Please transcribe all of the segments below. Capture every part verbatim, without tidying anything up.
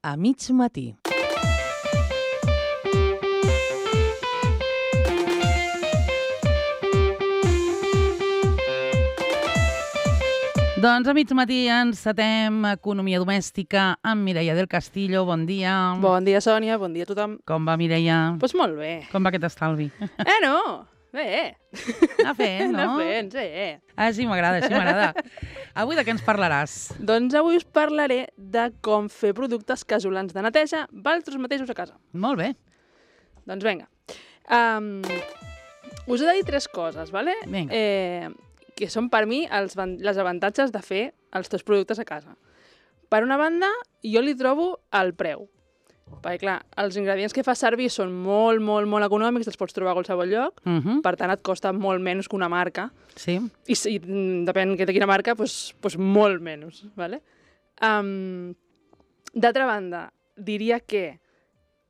A mig matí. Doncs a mig matí encetem Economia Domèstica amb Mireia del Castillo. Bon dia. Bon dia, Sònia. Bon dia a tothom. Com va, Mireia? Doncs pues molt bé. Com va aquest estalvi? Eh, no? Bé. Anar fent, no? Anar fent, sí. Ah, sí, m'agrada, sí, m'agrada. Avui de què ens parlaràs? Doncs avui us parlaré de com fer productes casolans de neteja vosaltres mateixos a casa. Molt bé. Doncs vinga. Um, us he de dir tres coses, ¿vale? Vinga. Eh, que són per mi els, les avantatges de fer els teus productes a casa. Per una banda, jo li trobo el preu. Perquè, clar, els ingredients que fas servir són molt, molt, molt econòmics, els pots trobar a qualsevol lloc, Uh -huh. per tant et costa molt menys que una marca. Sí. I si depèn de quina marca, doncs, doncs molt menys. ¿Vale? Um, D'altra banda, diria que,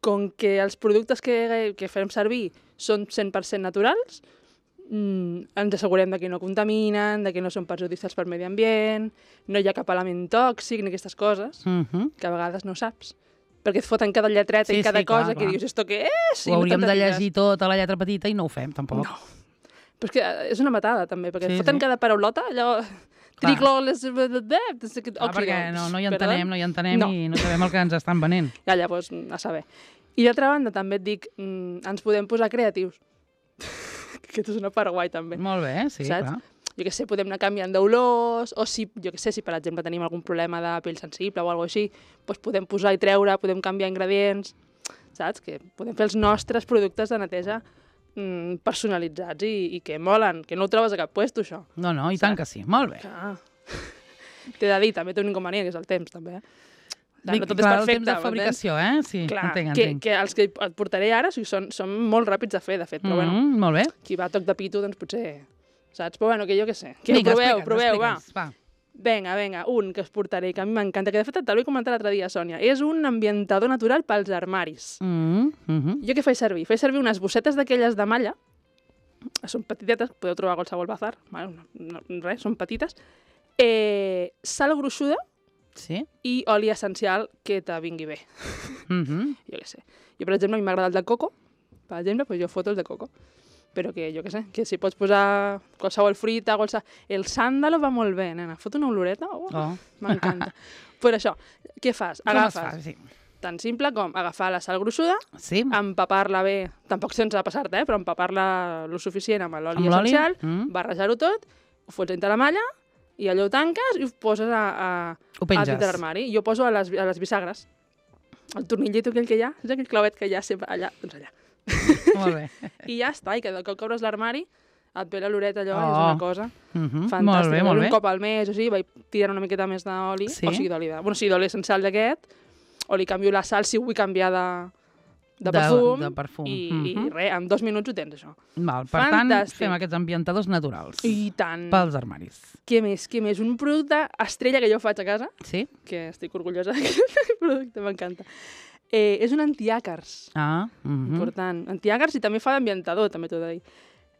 com que els productes que, que fem servir són cent per cent naturals, mm, ens assegurem de que no contaminen, de que no són perjudicials per medi ambient, no hi ha cap element tòxic ni aquestes coses, Uh -huh. que a vegades no saps. Perquè et foten cada lletreta Sí, i cada sí, clar, cosa clar. que dius, esto què és? Ho hauríem de llegir tot a la lletra petita i no ho fem, tampoc. No. Però és que és una matada, també, perquè Sí, et foten sí. cada paraulota, allò... Clar. Tricloles... Ah, perquè no, no hi entenem, no hi entenem No. i no sabem el que ens estan venent. Ja, llavors, a saber. I d'altra banda, també et dic, mm, ens podem posar creatius. Que és una part guai, també. Molt bé, sí, Saps? clar. Jo què sé, podem anar canviant d'olors, o si, jo què sé, si per exemple tenim algun problema de pell sensible o alguna cosa així, doncs podem posar i treure, podem canviar ingredients, saps? Que podem fer els nostres productes de neteja mm, personalitzats i, i que molen, que no ho trobes a cap puesto, això. No, no, i tant que sí. Molt bé. Clar. T'he de dir, també té un inconvenient, que és el temps, també. Eh? Bé, No tot clar, és el perfecte, temps de fabricació, eh? Sí, Clar, entenc, que, entenc. que els que et portaré ara o sigui, són, són molt ràpids de fer, de fet, però Mm, bueno, molt bé. qui va a toc de pito, doncs potser... Saps? Però bueno, que jo què sé. Que Vinga, proveu, explica'ns, proveu, va. explica'ns, va. Vinga, vinga, un que us portaré, que a mi m'encanta, que de fet te l'he comentat l'altre dia, Sònia. És un ambientador natural pels armaris. Mm, mm, Jo què faig servir? Faig servir unes bossetes d'aquelles de malla, són petitetes, podeu trobar a qualsevol bazar, bueno, no, no, res, són petites, eh, sal gruixuda sí. i oli essencial que te vingui bé. Mm -hmm. Jo què sé. Jo, per exemple, a mi m'agrada el de coco, per exemple, doncs jo foto el de coco. Però que, jo què sé, que si pots posar qualsevol fruita, qualsevol... El sàndalo va molt bé, nena. Fot una oloreta, oh, Oh. m'encanta. Però això, què fas? Com es Agafes, fa? Sí. tan simple com agafar la sal gruixuda, Sí. empapar-la bé, tampoc sense passar-te, eh, però empapar-la lo suficient amb l'oli Amb l'oli? essencial, Mm. barrejar-ho tot, ho fots dintre la malla, i allò ho tanques i ho poses a, a, Ho a penges. dintre l'armari. Jo poso a les, a les bisagres. El tornillito aquell que hi ha, és aquell clavet que hi ha sempre allà, doncs allà. Molt bé. I ja està, i cada cop que obres l'armari et ve l'oloreta allò, Oh. és una cosa Mm -hmm. fantàstica. Molt bé, molt Un bé. cop al mes o sigui, vaig tirant una miqueta més d'oli, Sí? o sigui, d'oli de... Bueno, sí, d'oli essencial d'aquest, o li canvio la sal si vull canviar de, de De- perfum, de perfum. I, Mhm. i res, en dos minuts ho tens, això. Val, per tant, Fantàstic. fem aquests ambientadors naturals. I tant. Pels armaris. Què més, què més? Un producte estrella que jo faig a casa, Sí? que estic orgullosa d'aquest producte, m'encanta. Eh, és un antiàcars. Ah, mm -hmm. Important. Antiàcars i també fa d'ambientador, també t'ho he de dir.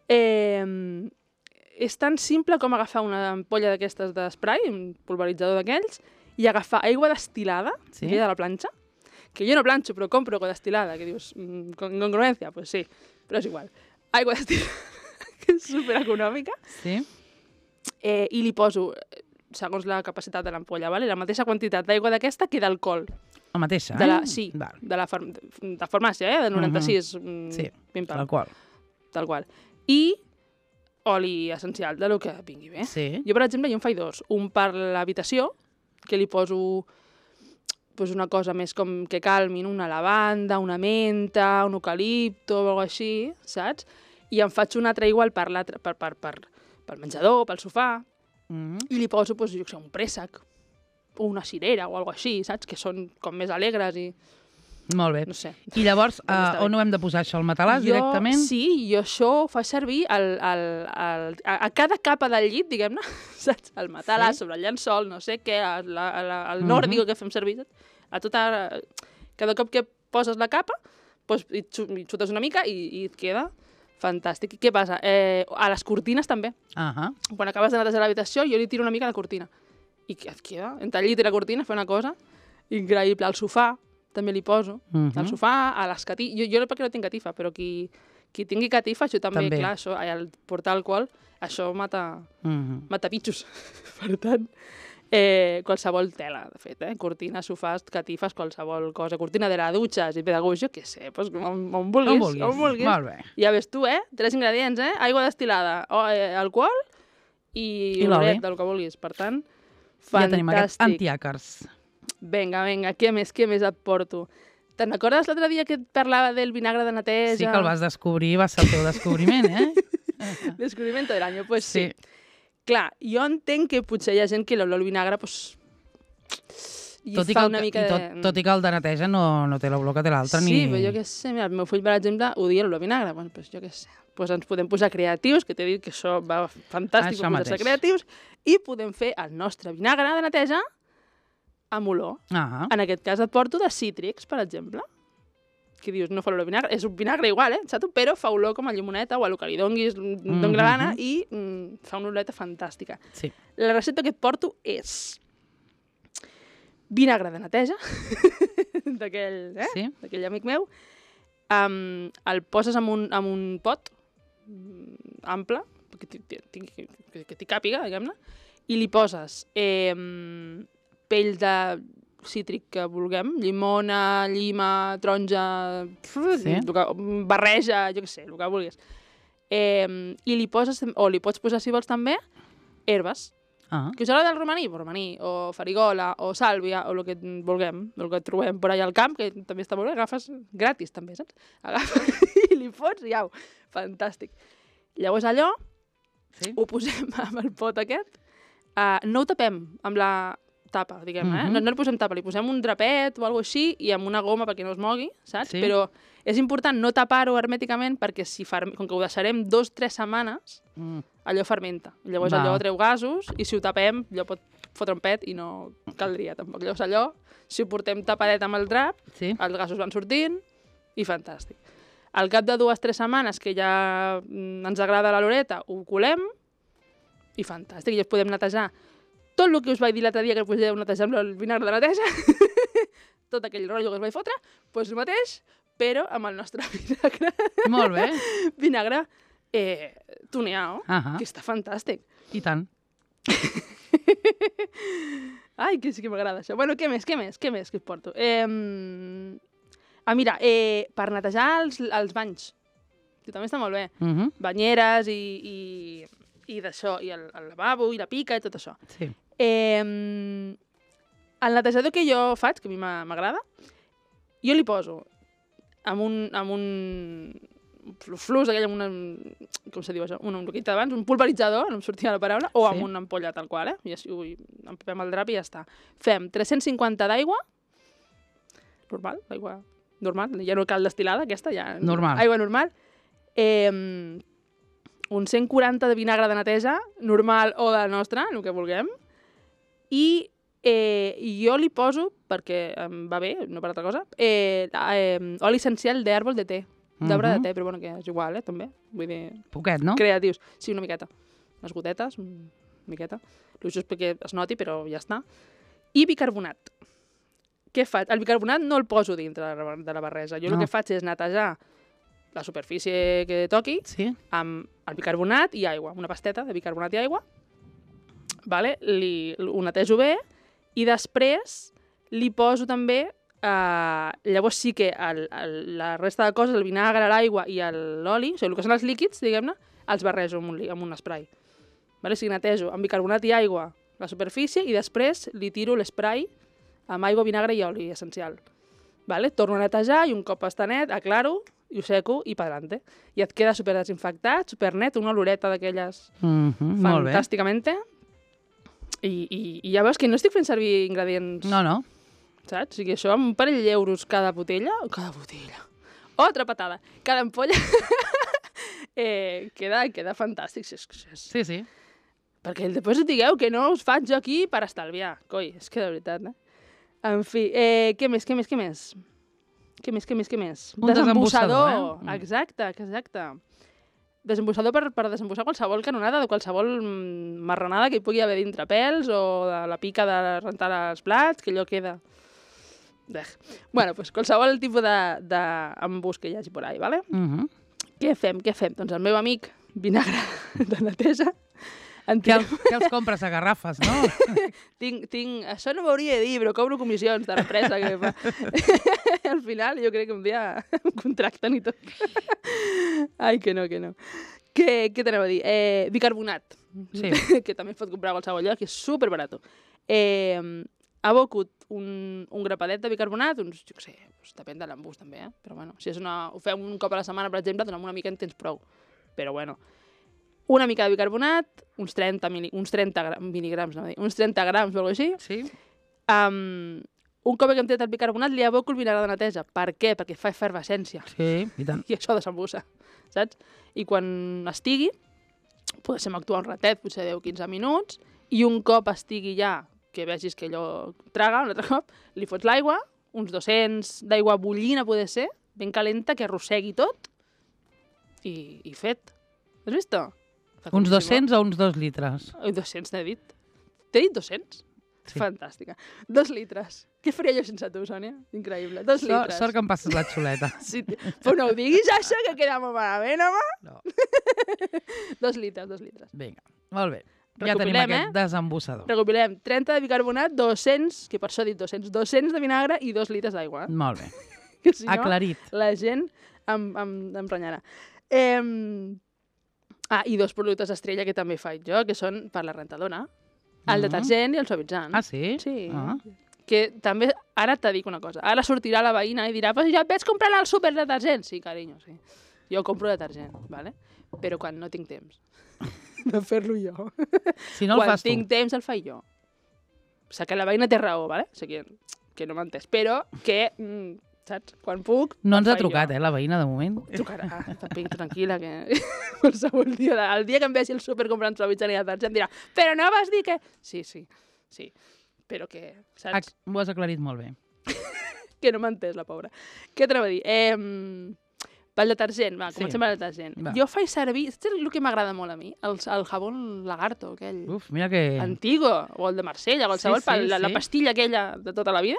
Eh, és tan simple com agafar una ampolla d'aquestes d'esprai, un pulveritzador d'aquells, i agafar aigua destilada, Sí. aquella de la planxa, que jo no planxo, però compro aigua destilada, que dius, mm, con incongruència? Doncs pues sí, però és igual. Aigua destilada, que és supereconòmica, Sí? eh, i li poso, eh, segons la capacitat de l'ampolla, vale? La mateixa quantitat d'aigua d'aquesta que d'alcohol. La mateixa, De la, eh? sí, Val. de la far, de farmàcia, eh? de noranta-sis. Mm, Sí, pim-pam. tal qual. Tal qual. I oli essencial, de lo que vingui bé. Sí. Jo, per exemple, jo en faig dos. Un per l'habitació, que li poso pues, una cosa més com que calmin, una lavanda, una menta, un eucalipto o alguna així, saps? I em faig un altre igual per, l'altre- per, per, per, pel menjador, pel sofà, Mm -hmm. i li poso pues, jo què sé, un préssec o una cirera o alguna així, saps? Que són com més alegres i... Molt bé. No sé. I llavors, Doncs està uh, bé. on ho hem de posar això? Al matalàs, Jo- directament? Sí, jo això ho faig servir al, al, al, a, a cada capa del llit, diguem-ne, saps? El matalàs, Sí. sobre el llençol, no sé què, a la, a la, el Mhm. nòrdico que fem servir, saps? A tota... Cada cop que poses la capa, doncs, hi, xu- hi xutes una mica i, i et queda fantàstic. I què passa? Eh, a les cortines també. Ahà. Quan acabes de netejar l'habitació, jo li tiro una mica a la cortina. I que et queda, entre el llit i la cortina, fer una cosa increïble. Al sofà també li poso. Uh -huh. Al sofà, a les catifes... Jo, jo perquè no tinc catifa, però qui, qui tingui catifa, això també, També. clar, això, ai, el portar alcohol, això mata, Uh -huh. mata bitxos. Per tant, eh, qualsevol tela, de fet, eh? Cortines, sofàs, catifes, qualsevol cosa. Cortina de la dutxa, si pedagog, jo què sé, doncs, on, on vulguis. On vulguis. On vulguis. Molt bé. Ja ves tu, eh? Tres ingredients, eh? Aigua destil·lada, o, eh, alcohol i, I l'oli. olet, del que vulguis. Per tant, Ja fantàstic. tenim aquests antiàcars. Vinga, vinga, què més, què més et porto? Te'n recordes l'altre dia que et parlava del vinagre de neteja? Sí que el vas descobrir, va ser el teu descobriment, eh? Descobrimiento del año, pues sí. Sí. Clar, jo entenc que potser hi ha gent que l'olor al vinagre, pues, i Tot i, fa que el, una mica i de... tot, tot i que el de neteja no, no té l'olor que té l'altre. Sí, ni... però jo què sé, mira, el meu fill, per exemple, odia l'olor a vinagre. Bueno, pues jo què sé. Pues ens podem posar creatius, que t'he dit que això va fantàstic Això per posar-se mateix. creatius, i podem fer el nostre vinagre de neteja amb olor. Ah, En aquest cas et porto de cítrics, per exemple. Que dius, no fa olor a vinagre, és un vinagre igual, eh, xato, però fa olor com a llimoneta o a lo que li donguis, doni la gana, i mm, fa una oloreta fantàstica. sí. La recepta que et porto és vinagre de neteja, d'aquell eh? Sí. d'aquell amic meu, um, el poses en un, en un pot mm, ample, que t'hi- t'hi- que, que, que t'hi càpiga, diguem-ne, i li poses eh, pell de cítric que vulguem, llimona, llima, taronja, Sí. el que, barreja, jo què sé, el que vulguis. Eh, I li poses, o li pots posar, si vols també, herbes. Ah, Que us agrada el romaní? Pues romaní, o farigola, o sàlvia, o el que vulguem, el que trobem per allà al camp, que també està molt bé, agafes gratis també, saps? Agafes i li fots i au, fantàstic. Llavors allò, sí. ho posem amb el pot aquest, uh, no ho tapem amb la tapa, diguem, eh? Mhm. No, no li posem tapa, li posem un drapet o alguna així i amb una goma perquè no es mogui, saps? Sí. Però és important no tapar-ho hermèticament perquè si ferm... com que ho deixarem dos o tres setmanes, Mm. allò fermenta. Llavors Val. allò treu gasos i si ho tapem, allò pot fotre un pet i no caldria tampoc. Llavors allò, si ho portem tapadet amb el drap, Sí. els gasos van sortint i fantàstic. Al cap de dues o tres setmanes que ja mm, ens agrada la loreta, ho colem i fantàstic. I es podem netejar tot el que us vaig dir l'altre dia que podeu netejar amb el vinagre de neteja, tot aquell rotllo que us vaig fotre, doncs el mateix, però amb el nostre vinagre. Molt bé. Vinagre eh, tuneado, Ahà. que està fantàstic. I tant. Ai, que sí que m'agrada això. Bueno, què més, què més, què més que et porto? Eh, ah, mira, eh, per netejar els, els banys, que també està molt bé. Uh -huh. Banyeres i, i, i d'això, i el, el lavabo, i la pica, i tot això. Sí. Eh, el netejador que jo faig, que a mi m'a- m'agrada, jo li poso amb un, amb un flus, aquell amb una, com se diu això, un, un que he dit abans, un pulveritzador, no em sortia la paraula, o Sí. amb una ampolla tal qual, eh? I així ho empapem el drap i ja està. Fem tres-cents cinquanta d'aigua, normal, l'aigua normal, ja no cal destil·lada, aquesta, ja... Normal. Aigua normal. Eh, un cent quaranta de vinagre de neteja, normal o de nostra, el que vulguem, i eh, jo li poso, perquè em va bé, no per altra cosa, eh, eh, oli essencial d'àrbol de té, d'arbre Mhm. de té, però bueno, que és igual, eh, també. Vull dir, Poquet, no? creatius. Sí, una miqueta. Unes gotetes, una miqueta. El just perquè es noti, però ja està. I bicarbonat. Què faig? El bicarbonat no el poso dintre de la, de la barreja. Jo No. el que faig és netejar la superfície que toqui Sí. amb el bicarbonat i aigua. Una pasteta de bicarbonat i aigua. Vale? Li, ho netejo bé i després li poso també... Uh, llavors sí que el, el, la resta de coses, el vinagre, l'aigua i el- l'oli, o sigui, el que són els líquids, diguem-ne, els barrejo amb un, li- amb un spray. Vale? O sigui, netejo amb bicarbonat i aigua la superfície i després li tiro l'esprai amb aigua, vinagre i oli essencial. Vale? Torno a netejar i un cop està net, aclaro i ho seco i pa'lante. I et queda super desinfectat, super net, una oloreta d'aquelles Mm -hmm. Molt bé. fantàsticament. I, i, I ja veus que no estic fent servir ingredients, No, no. saps? O sigui, això amb un parell d'euros cada botella, cada botella, altra patada, cada ampolla, eh, queda, queda fantàstic. Si és, si és... Sí, sí. Perquè després digueu que no us faig jo aquí per estalviar. Coi, és que de veritat, eh? En fi, eh, què més, què més, què més? Què més, què més, què més? Un desembussador, eh? Mm. Exacte, exacte. Desembussador per, per desembussar qualsevol canonada de qualsevol mm, marranada que hi pugui haver dintre, pèls o de la pica de rentar els plats, que allò queda Dej. Bueno, doncs qualsevol tipus d'embús que hi hagi por ahí, ¿vale? Uh -huh. Què fem, què fem? Doncs el meu amic, vinagre de neteja, en Que, el, que els compres a garrafes, no? tinc, tinc... Això no m'hauria de dir, però cobro comissions de l'empresa que fa. Al final jo crec que un dia em contracten i tot. Ai, que no, que no. Què, què t'anava a dir? Eh, bicarbonat, Sí. que també es pot comprar a qualsevol lloc, que és superbarato. Eh, abocut un, un grapadet de bicarbonat, uns, jo què sé, doncs depèn de l'embús també, eh? Però bueno, si és una, ho fem un cop a la setmana, per exemple, doncs amb una mica en tens prou. Però bueno, una mica de bicarbonat, uns trenta, mili, uns trenta gra, miligrams, no, uns trenta grams o alguna cosa així. Sí. Um, un cop que hem tret el bicarbonat, li aboco el vinagre de neteja. Per què? Perquè fa efervescència. Sí, i tant. I això desembussa, saps? I quan estigui, podem actuar un ratet, potser deu a quinze minuts, i un cop estigui ja, que vegis que allò traga, un altre cop, li fots l'aigua, uns dos-cents d'aigua bullina, poder ser, ben calenta, que arrossegui tot, i, i fet. Has vist? Uns dos-cents o uns dos litres? Ai, dos-cents n'he dit. T'he dit dos-cents? Sí. Fantàstica. Dos litres. Què faria jo sense tu, Sònia? Increïble. Dos Sort, litres. sort que em passes la xuleta. Sí, però no ho diguis, això, que queda molt malament, home. No. Dos litres, dos litres. Vinga, molt bé. Ja tenim Recopilem, aquest eh? desembussador. Recopilem trenta de bicarbonat, dos-cents, que per això he dit dos-cents, dos-cents de vinagre i dos litres d'aigua. Eh? Molt bé. Que si no, Aclarit. la gent em, em, em renyarà. Eh, ah, i dos productes estrella que també faig jo, que són per la rentadora. El Mhm. detergent i el suavitzant. Ah, sí? Sí. Ah. Que també, ara te dic una cosa, ara sortirà la veïna i dirà, pues ja et vaig comprar al súper detergent. Sí, carinyo, sí. Jo compro detergent, ¿vale? Però quan no tinc temps de fer-lo jo. Si no el quan fas tu. tinc temps el faig jo. O sigui, que la veïna té raó, ¿vale? O sigui, que, que no m'ha entès. Però que, mm, saps, quan puc... No ens el ha faig trucat, jo. eh, la veïna, de moment. Trucarà, també tranquil·la, que qualsevol dia, de- el dia que em vegi el súper comprant suavitzant i detergent dirà, però no vas dir que... Sí, sí, sí, però que, saps? Ac- Ho has aclarit molt bé. Que no m'ha entès, la pobra. Què t'anava a dir? Eh, pel detergent, va, Sí. comencem pel detergent. Va. Jo faig servir, saps el que m'agrada molt a mi? El, el jabón lagarto, aquell Uf, mira que... antigo, o el de Marsella, qualsevol, Sí, sí, pel- la, la sí. pastilla aquella de tota la vida,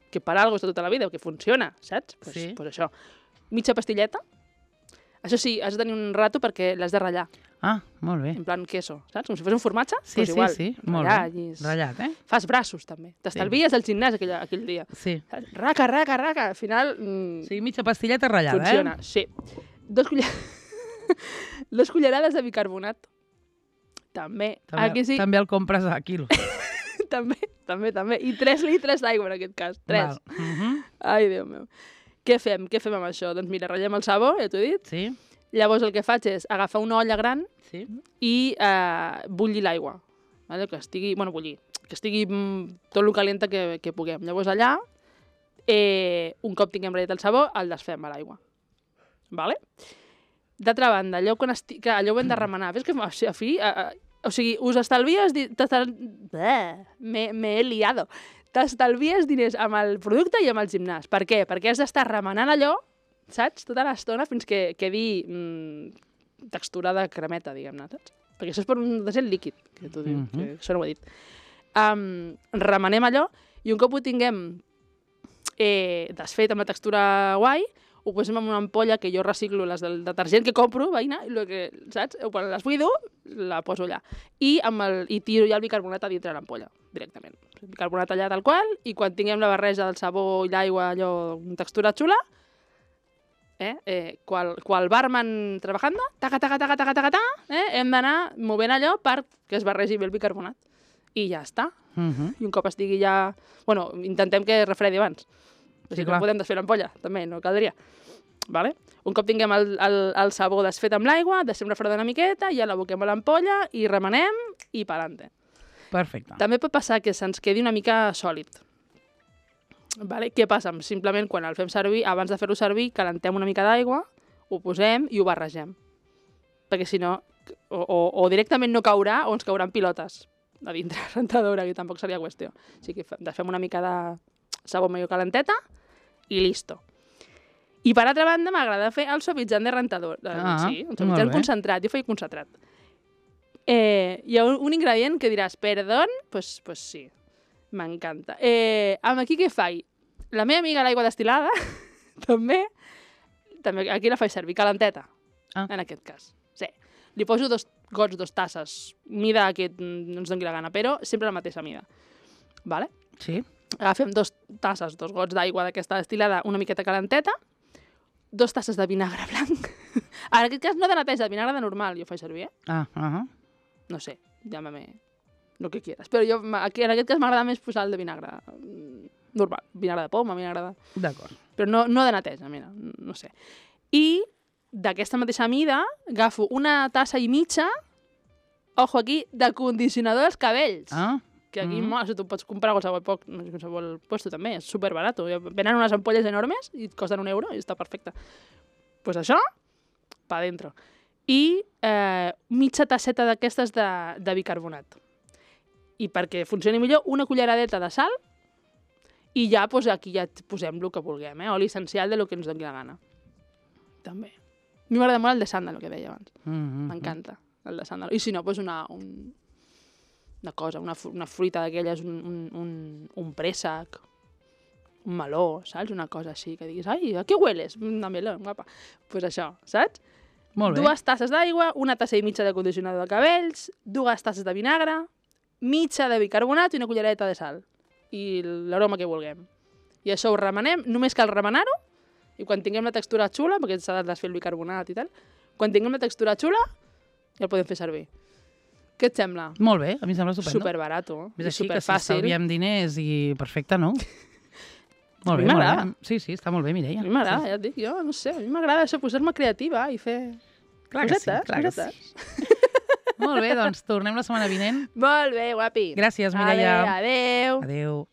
que per algo és de tota la vida, que funciona, saps? Pues, Sí. pues això. Mitja pastilleta. Això sí, has de tenir un rato perquè l'has de ratllar, Ah, molt bé. en plan queso, saps? Com si fos un formatge, Sí, pues sí, igual. sí, molt ratllar, bé. i és- Ratllat, eh? Fas braços, també. T'estalvies del gimnàs aquell, aquell dia. Sí. Saps? Raca, raca, raca. Al final... Mm, O sigui, mitja pastilleta ratllada, funciona, eh? sí. Dos, culler... Dos cullerades de bicarbonat. També. També, Aquí sí, també el compres a quilo. també, també, també. I tres litres d'aigua, en aquest cas. Tres. Val. Mhm. Ai, Déu meu. Què fem? Què fem amb això? Doncs mira, ratllem el sabó, ja t'ho he dit. Sí, Llavors el que faig és agafar una olla gran sí. i eh, bullir l'aigua. Vale? Que estigui, bueno, bullir, que estigui mm, tot el calenta que, que puguem. Llavors allà, eh, un cop tinguem ratllat el sabó, el desfem a l'aigua. Vale? D'altra banda, allò, quan esti... que allò ho hem de remenar. Ves que a, a fi... A, a, o sigui, us estalvies... Di... t'estal- Bleh, M'he m'he liado. T'estalvies diners amb el producte i amb el gimnàs. Per què? Perquè has d'estar remenant allò, saps? Tota l'estona fins que quedi mm, textura de cremeta, diguem-ne, saps? Perquè això és per un detergent líquid, que tu dius, Mhm. que això no ho he dit. Um, remenem allò i un cop ho tinguem eh, desfet amb la textura guai, ho posem en una ampolla que jo reciclo les del detergent que compro, veïna, i lo que, saps? Quan les buido, la poso allà. I, amb el, i tiro ja el bicarbonat a dintre l'ampolla, directament. El bicarbonat allà tal qual, i quan tinguem la barreja del sabó i l'aigua, allò, amb textura xula, eh, eh, qual, qual barman trabajando, taca, taca, taca, taca, taca, taca, eh, hem d'anar movent allò perquè es barregi bé el bicarbonat. I ja està. Mhm. I un cop estigui ja... Bueno, intentem que refredi abans. O Sí, sigui, clar. no podem desfer l'ampolla, també, no caldria. Vale? Un cop tinguem el, el, el sabó desfet amb l'aigua, deixem refredar una miqueta, ja l'aboquem a l'ampolla i remenem i pa'lante. Perfecte. També pot passar que se'ns quedi una mica sòlid. Vale? Què passa? Simplement, quan el fem servir, abans de fer-ho servir, calentem una mica d'aigua, ho posem i ho barregem. Perquè si no, o, o, o directament no caurà o ens cauran pilotes a dintre la rentadora, que tampoc seria qüestió. O sigui que fem una mica de sabó medio calenteta i listo. I per altra banda m'agrada fer el suavitzant de rentador. Ah, sí, un molt suavitzant bé. concentrat. Jo faig concentrat. Eh, hi ha un, un ingredient que diràs, perdón, pues, pues sí, m'encanta. Eh, amb aquí què faig? La meva amiga l'aigua destil·lada, també, també, aquí la faig servir, calenteta, Ah. en aquest cas. Sí. Li poso dos gots, dos tasses, mida que no ens doni la gana, però sempre la mateixa mida. Vale? Sí. Agafem dos tasses, dos gots d'aigua d'aquesta destil·lada, una miqueta calenteta, dos tasses de vinagre blanc. En aquest cas no de neteja, de vinagre de normal, jo faig servir, eh? Ah, ah, No sé, llámame lo que quieras. Però jo, aquí, en aquest cas m'agrada més posar el de vinagre mm, normal, vinagre de poma, vinagre de... d'acord. Però no, no de neteja, mira, no sé. I d'aquesta mateixa mida agafo una tassa i mitja, ojo aquí, de condicionador dels cabells. Ah, Que aquí, Mhm. mm. això t'ho pots comprar a qualsevol, poc, no sé, qualsevol puesto també, és superbarato. Venen unes ampolles enormes i et costen un euro i està perfecte. Doncs pues això, pa dentro. I eh, mitja tasseta d'aquestes de, de bicarbonat. I perquè funcioni millor, una culleradeta de sal i ja pues, aquí ja posem el que vulguem, eh? Oli essencial de lo que ens doni la gana. També. A mi m'agrada molt el de sàndalo, que deia abans. mhm. M'encanta, el de sàndalo. I si no, pues una, un, una cosa, una, fru- una fruita d'aquelles, un, un, un, un préssec, un meló, saps? Una cosa així, que diguis, ai, a què hueles? Una meló, guapa. Doncs pues això, saps? Molt bé. Dues tasses d'aigua, una tassa i mitja de condicionador de cabells, dues tasses de vinagre, mitja de bicarbonat i una cullereta de sal. I l'aroma que vulguem. I això ho remenem, només cal remenar-ho, i quan tinguem la textura xula, perquè s'ha de desfer el bicarbonat i tal, quan tinguem la textura xula, ja el podem fer servir. Què et sembla? Molt bé, a mi em sembla estupendo. Superbarato, És i així que si superfàcil. estalviem diners i perfecte, no? Molt A mi bé, molt m'agrada. bé. Sí, sí, està molt bé, Mireia. A mi m'agrada, Sí, ja et dic, jo no sé, a mi m'agrada això, posar-me creativa i fer clar que sí, cosetes, clar que cosetes. sí. Molt bé, doncs tornem la setmana vinent. Molt bé, guapi. Gràcies, Mireia. Adéu, adéu. Adéu.